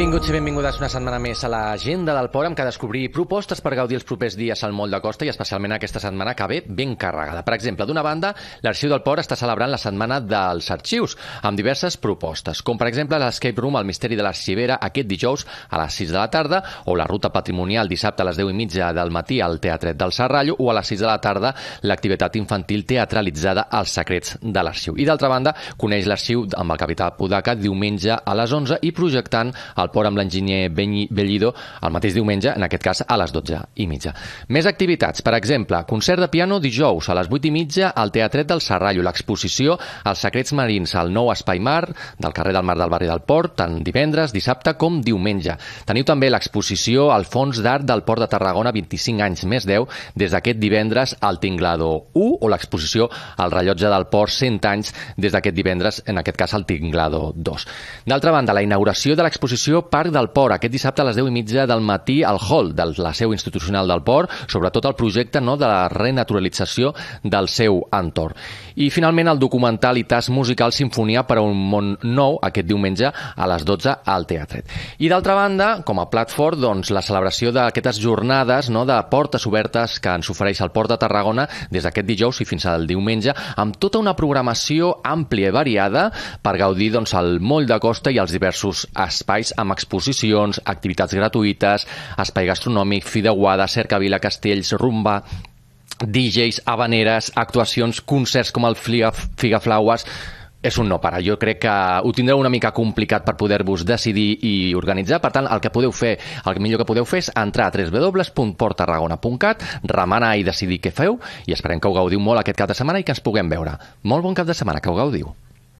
Benvinguts i benvingudes una setmana més a l'Agenda del Port, amb què descobrir propostes per gaudir els propers dies al Moll de Costa i especialment aquesta setmana que ve ben carregada. Per exemple, d'una banda, l'Arxiu del Port està celebrant la Setmana dels Arxius, amb diverses propostes, com per exemple l'Escape Room al Misteri de l'Arxivera aquest dijous a les 6 de la tarda, o la Ruta Patrimonial dissabte a les 10:30 del matí al Teatret del Serrallo, o a les 6 de la tarda l'activitat infantil teatralitzada als Secrets de l'Arxiu. I d'altra banda, coneix l'Arxiu amb el capità Podaca diumenge a les 11 i projectant al Port amb l'enginyer Bellido el mateix diumenge, en aquest cas a les 12:30. Més activitats, per exemple, concert de piano dijous a les 8:30 al Teatret del Serrallo, l'exposició als Secrets Marins al nou Espai Mar del carrer del Mar del barri del Port, tant divendres, dissabte com diumenge. Teniu també l'exposició al Fons d'Art del Port de Tarragona 25 anys més 10 des d'aquest divendres al Tinglado 1 o l'exposició al Rellotge del Port 100 anys des d'aquest divendres, en aquest cas al Tinglado 2. D'altra banda, la inauguració de l'exposició Parc del Port, aquest dissabte a les 10:30 del matí al hall de la seu institucional del Port, sobretot el projecte de la renaturalització del seu entorn. I finalment el documental i tas musical Sinfonia per a un món nou, aquest diumenge a les 12 al Teatret. I d'altra banda, com a plat fort, doncs, la celebració d'aquestes jornades de portes obertes que ens ofereix el Port de Tarragona des d'aquest dijous i fins al diumenge, amb tota una programació àmplia i variada per gaudir el Moll de Costa i els diversos espais amb exposicions, activitats gratuïtes, espai gastronòmic, fideuada, cercavila, castells, rumba, DJs, habaneres, actuacions, concerts com el Figaflaues. És un no parar. Jo crec que ho tindreu una mica complicat per poder-vos decidir i organitzar. Per tant, el millor que podeu fer és entrar a www.porttarragona.cat, remenar i decidir què feu, i esperem que ho gaudiu molt aquest cap de setmana i que ens puguem veure. Molt bon cap de setmana, que ho gaudiu.